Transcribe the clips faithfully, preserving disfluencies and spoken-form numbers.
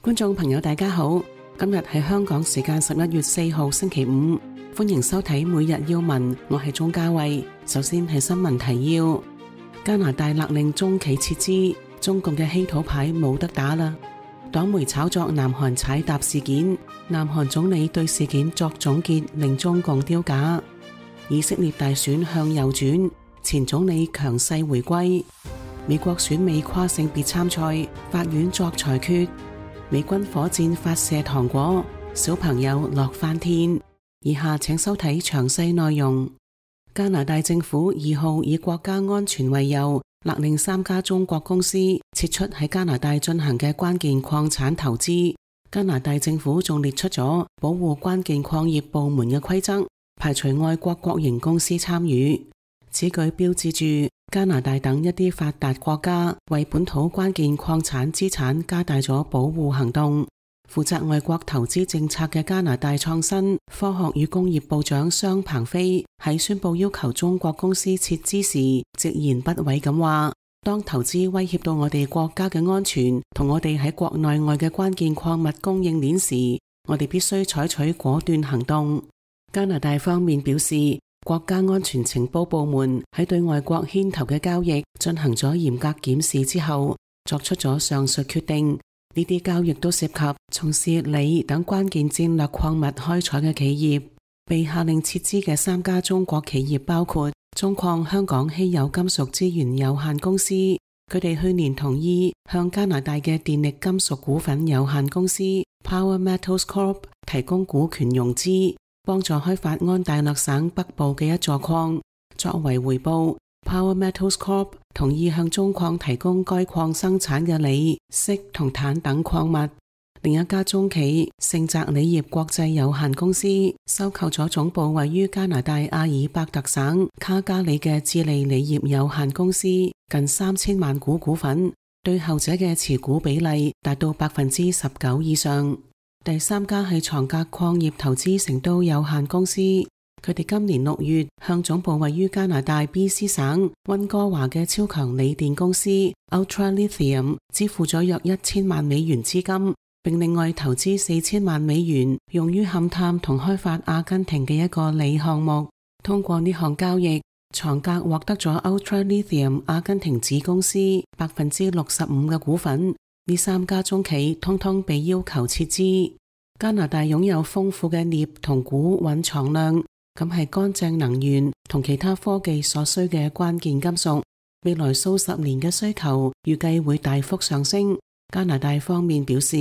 觀眾朋友大家好，今日係香港時間十一月四號星期五，歡迎收睇每日要聞，我係鍾嘉慧。首先係新聞提要：加拿大勒令中企撤資，中共嘅稀土牌冇得打啦。黨媒炒作南韓踩踏事件，南韓總理對事件作總結，令中共丟架。以色列大選向右轉，前總理強勢回歸。美國選美跨性別參賽，法院作裁決。美軍火箭發射糖果，小朋友樂翻天。以下請收睇詳細內容。加拿大政府二號以國家安全為由，勒令三家中國公司撤出喺加拿大進行嘅關鍵礦產投資。加拿大政府仲列出咗保護關鍵礦業部門嘅規則，排除外國國營公司參與。此舉標誌住加拿大等一啲發達國家為本土關鍵礦產資產加大咗保護行動。負責外國投資政策嘅加拿大創新、科學與工業部長商鵬飛喺宣布要求中國公司撤資時，直言不諱咁話：當投資威脅到我哋國家嘅安全同我哋喺國內外嘅關鍵礦物供應鏈時，我哋必須採取果斷行動。加拿大方面表示，國家安全情報部門喺對外國牽頭嘅交易進行咗嚴格檢視之後，作出咗上述決定。呢啲交易都涉及從事鋰等關鍵戰略礦物開採嘅企業。被下令撤資嘅三家中國企業包括中礦香港稀有金屬資源有限公司，佢哋去年同意向加拿大嘅電力金屬股份有限公司 Power Metals Corp 提供股權融資，幫助開發安大略省北部嘅一座礦。作為回報， Power Metals Corp 同意向中礦提供該礦生產嘅鋰、銫同鉭等礦物。另一家中企盛澤鋰業國際有限公司收購咗總部位於加拿大阿爾伯特省卡加里嘅智利鋰業有限公司近三千萬股股份，對後者嘅持股比例達到百分之十九以上。第三家係床格礦業投資成都有限公司，佢哋今年六月向總部位於加拿大 B C 省溫哥華嘅超強鋰電公司 Ultra Lithium 支付咗約一千萬美元資金，並另外投資四千萬美元用於勘探同開發阿根廷嘅一個鋰項目。通過呢項交易，床格獲得咗 Ultra Lithium 阿根廷子公司百分之六十五嘅股份。呢三家中企通通被要求撤資。加拿大擁有豐富嘅鎳同鈷蘊藏量，咁係乾淨能源同其他科技所需嘅關鍵金屬。未來數十年嘅需求預計會大幅上升。加拿大方面表示，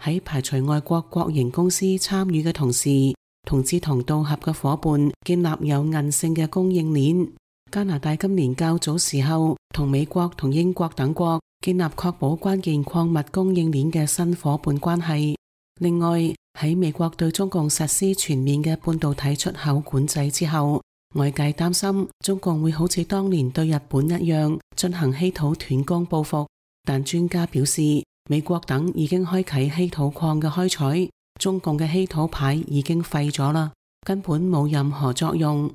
喺排除外國國營公司參與嘅同時，同志同道合嘅夥伴建立有韌性嘅供應鏈。加拿大今年較早時候同美國同英國等國建立確保關鍵礦物供應鏈嘅新夥伴關係。另外，喺美國對中共實施全面嘅半導體出口管制之後，外界擔心中共會好似當年對日本一樣進行稀土斷供報復。但專家表示，美國等已經開啟稀土礦嘅開採，中共嘅稀土牌已經廢咗啦，根本冇任何作用。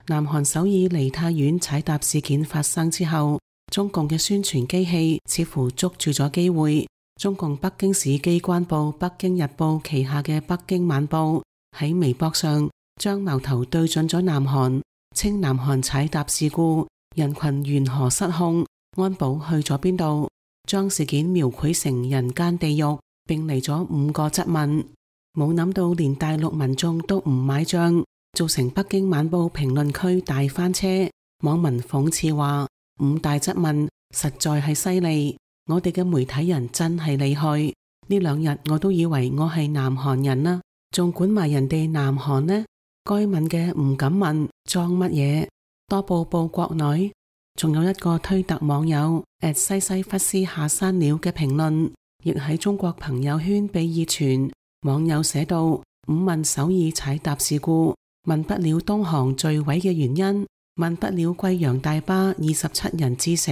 南韓首爾梨泰院踩踏事件發生之後，中共嘅宣傳機器似乎捉住咗機會。中共北京市機關報《北京日報》旗下嘅《北京晚報》喺微博上將矛頭對準咗南韓，稱南韓踩踏事故人群緣何失控，安保去咗邊度，將事件描繪成人間地獄，並嚟咗五個質問。冇諗到連大陸民眾都唔買賬，造成北京晚報評論區大翻車。網民諷刺話：五大質問實在係犀利，我哋嘅媒體人真係厲害。呢兩日我都以為我係南韓人啦，仲管埋人哋南韓呢？該問嘅唔敢問，裝乜嘢？多報報國內。仲有一個推特網友 at 西西弗斯下山了嘅評論，亦喺中國朋友圈被熱傳。網友寫道：五問首爾踩踏事故，問不了東航墜毀嘅原因，問不了貴陽大巴二十七人致死，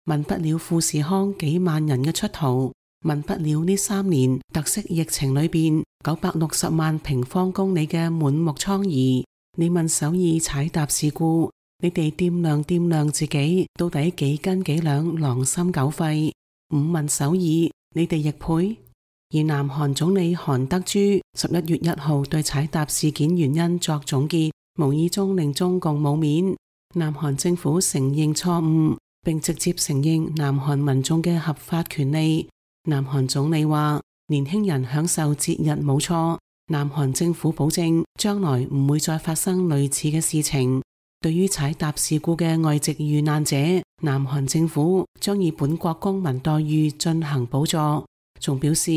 問不了富士康幾萬人嘅出逃，問不了呢三年特色疫情裏邊九百六十萬平方公里嘅滿目瘡痍。你問首爾踩踏事故，你哋掂量掂量自己，到底幾斤幾兩，狼心狗肺。五問首爾，你哋亦配？而南韓總理韓德珠十一月一號對踩踏事件原因作總結，無意中令中共冇面。南韓政府承認錯誤，並直接承認南韓民眾嘅合法權利。南韓總理話：年輕人享受節日冇錯，南韓政府保證將來唔會再發生類似嘅事情。對於踩踏事故嘅外籍遇難者，南韓政府將以本國公民待遇進行補助，仲表示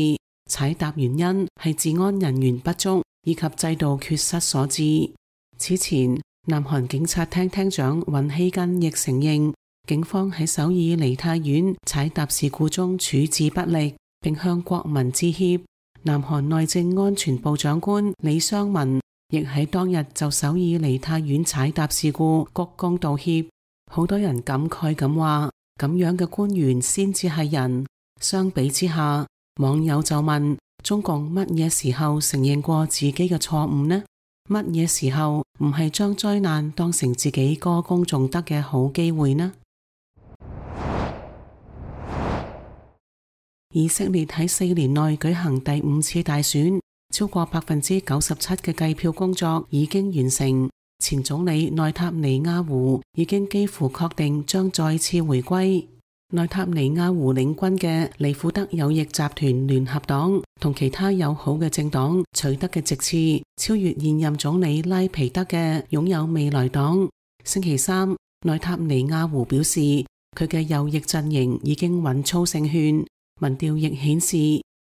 踩踏原因係治安人員不足以及制度缺失所致。此前，南韓警察廳廳長尹希根亦承認，警方喺首爾梨泰院踩踏事故中處置不力，並向國民致歉。南韓內政安全部長官李相文亦喺當日就首爾梨泰院踩踏事故鞠躬道歉。好多人感慨咁話，咁樣嘅官員先至係人。相比之下，網友就問：中共乜嘢時候承認過自己嘅錯誤呢？乜嘢時候唔係將災難當成自己歌功頌德嘅好機會呢？以色列喺四年內舉行第五次大選，超過百分之九十七嘅計票工作已經完成。前總理內塔尼亞胡已經幾乎確定將再次回歸。內塔尼亞胡領軍嘅利庫德右翼集團聯合黨同其他友好嘅政黨取得嘅席次超越現任總理拉皮德嘅擁有未來黨。星期三，內塔尼亞胡表示佢嘅右翼陣營已經穩操勝券。民調亦顯示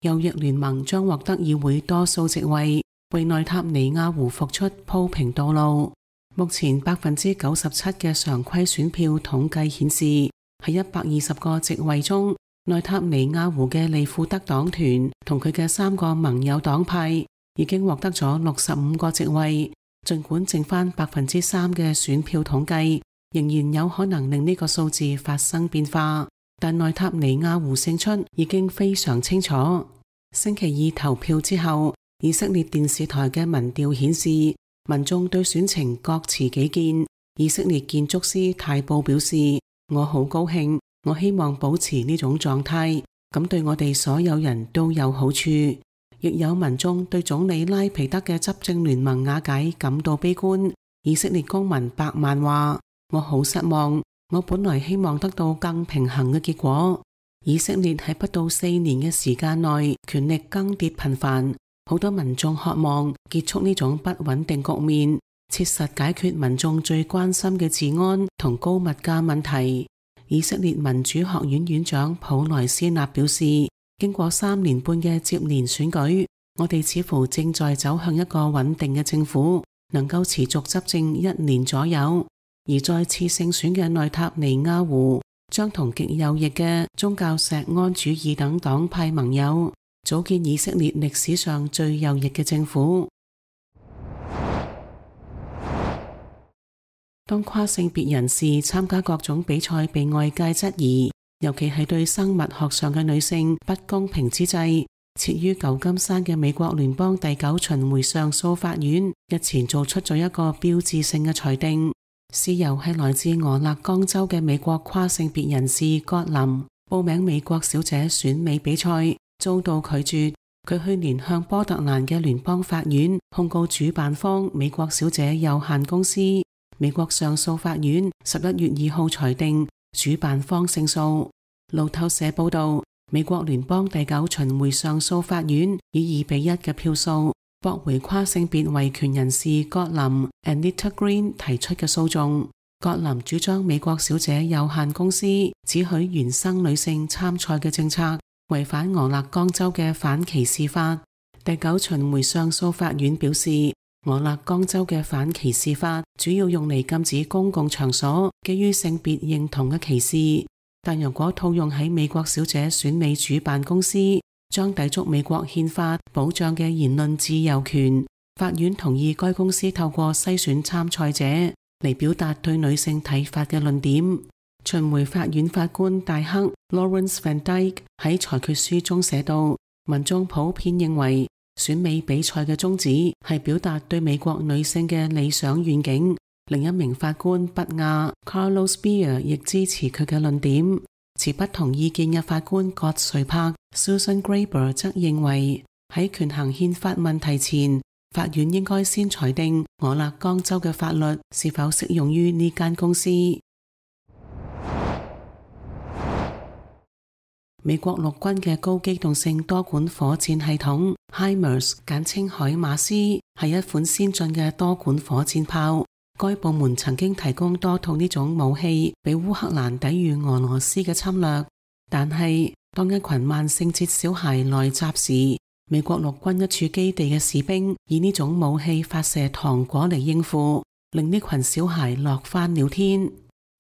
右翼聯盟將獲得議會多數席位，為內塔尼亞胡復出鋪平道路。目前百分之九十七嘅常規選票統計顯示，喺一百二十個席位中，內塔尼亞胡嘅利庫德黨團同佢嘅三個盟友黨派已經獲得咗六十五個席位。儘管剩翻百分之三嘅選票統計，仍然有可能令呢個數字發生變化。但內塔尼亞胡勝出已經非常清楚。星期二投票之後，以色列電視台嘅民調顯示，民眾對選情各持己見。以色列建築師泰布表示：我好高興，我希望保持呢種狀態，咁對我哋所有人都有好處。亦有民眾對總理拉皮德嘅執政聯盟瓦解感到悲觀。以色列公民百萬話：我好失望。我本來希望得到更平衡嘅結果。以色列喺不到四年嘅時間內，權力更迭頻繁，好多民眾渴望結束呢種不穩定局面，切實解決民眾最關心嘅治安同高物價問題。以色列民主學院院長普萊斯納表示，經過三年半嘅接連選舉，我哋似乎正在走向一個穩定嘅政府，能夠持續執政一年左右。而再次勝選嘅內塔尼亞胡將同極右翼嘅宗教錫安主義等黨派盟友組建以色列歷史上最右翼嘅政府。當跨性別人士參加各種比賽被外界質疑，尤其係對生物學上嘅女性不公平之際，設於舊金山嘅美國聯邦第九巡迴上訴法院日前做出咗一個標誌性嘅裁定。事由係來自俄勒岡州嘅美國跨性別人士葛林報名美國小姐選美比賽遭到拒絕。佢去年向波特蘭嘅聯邦法院控告主辦方美國小姐有限公司。美國上訴法院十一月二號裁定主辦方勝訴。路透社報道，美國聯邦第九巡迴上訴法院以二比一嘅票數駁回跨性別維權人士葛林 Anita Green 提出嘅訴訟。葛林主張美國小姐有限公司只許原生女性參賽嘅政策違反俄勒岡州嘅反歧視法。第九巡迴上訴法院表示，俄勒岡州嘅反歧視法主要用嚟禁止公共場所基於性別認同嘅歧視，但如果套用喺美國小姐選美主辦公司，將抵觸美國憲法保障嘅言論自由權。法院同意該公司透過篩選參賽者嚟表達對女性睇法嘅論點。巡迴法院法官戴克 Lawrence Van Dyke 喺裁決書中寫道，民眾普遍認為選美比賽嘅宗旨係表達對美國女性嘅理想願景，另一名法官不亞 Carlos Beer 亦支持佢嘅論點。持不同意見嘅法官葛瑞柏 Susan Graber 則認為，喺權衡憲法問題前，法院應該先裁定俄勒岡州嘅法律是否適用於呢間公司。美國陸軍嘅高機動性多管火箭系統 HIMARS 簡稱海馬斯，係一款先進嘅多管火箭炮。該部門曾經提供多套呢種武器俾烏克蘭抵禦俄羅斯嘅侵略，但係當一群萬聖節小孩來襲時，美國陸軍一處基地嘅士兵以呢種武器發射糖果嚟應付，令呢群小孩樂翻了天。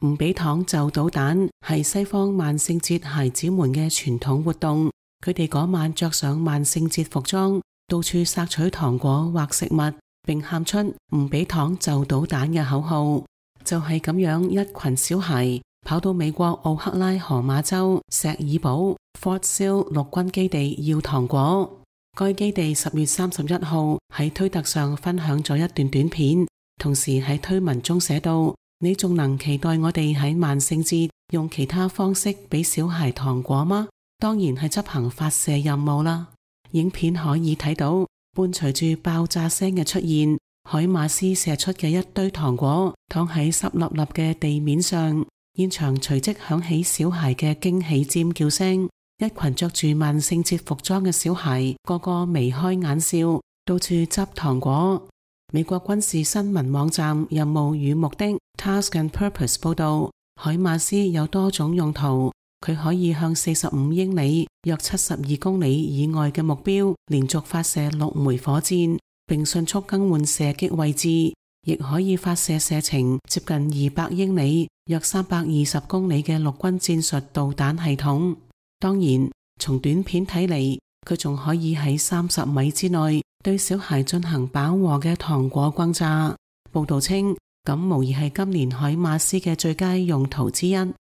唔俾糖就搗蛋係西方萬聖節孩子們嘅傳統活動，佢哋嗰晚着上萬聖節服裝，到處索取糖果或食物，並喊出唔俾糖就搗蛋嘅口號。就係咁樣，一群小孩跑到美國奧克拉荷馬州石爾堡 Fort Sill 陸軍基地要糖果。該基地十月三十一號喺推特上分享咗一段短片，同時喺推文中寫道：你仲能期待我哋喺萬聖節用其他方式俾小孩糖果嗎？當然係執行發射任務啦。影片可以睇到，伴隨住爆炸聲嘅出現，海馬斯射出嘅一堆糖果躺喺濕立立嘅地面上，現場隨即響起小孩嘅驚喜尖叫聲。一群着住萬聖節服裝嘅小孩，個個眉開眼笑，到處執糖果。美國軍事新聞網站任務與目的 Task and Purpose 報道，海馬斯有多種用途，佢可以向四十五英里約七十二公里以外嘅目標連續發射六枚火箭，並迅速更換射擊位置，亦可以發射射程接近二百英里約三百二十公里嘅陸軍戰術導彈系統。當然，從短片睇嚟，佢仲可以喺三十米之內對小孩進行飽和嘅糖果轟炸。報道稱，咁無疑係今年海馬斯嘅最佳用途之一。呢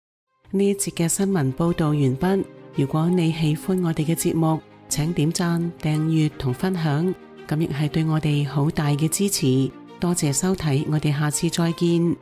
一節嘅新聞報道完畢。如果你喜歡我哋嘅節目，請點讚、訂閱同分享，咁亦係對我哋好大嘅支持。多謝收睇，我哋下次再見。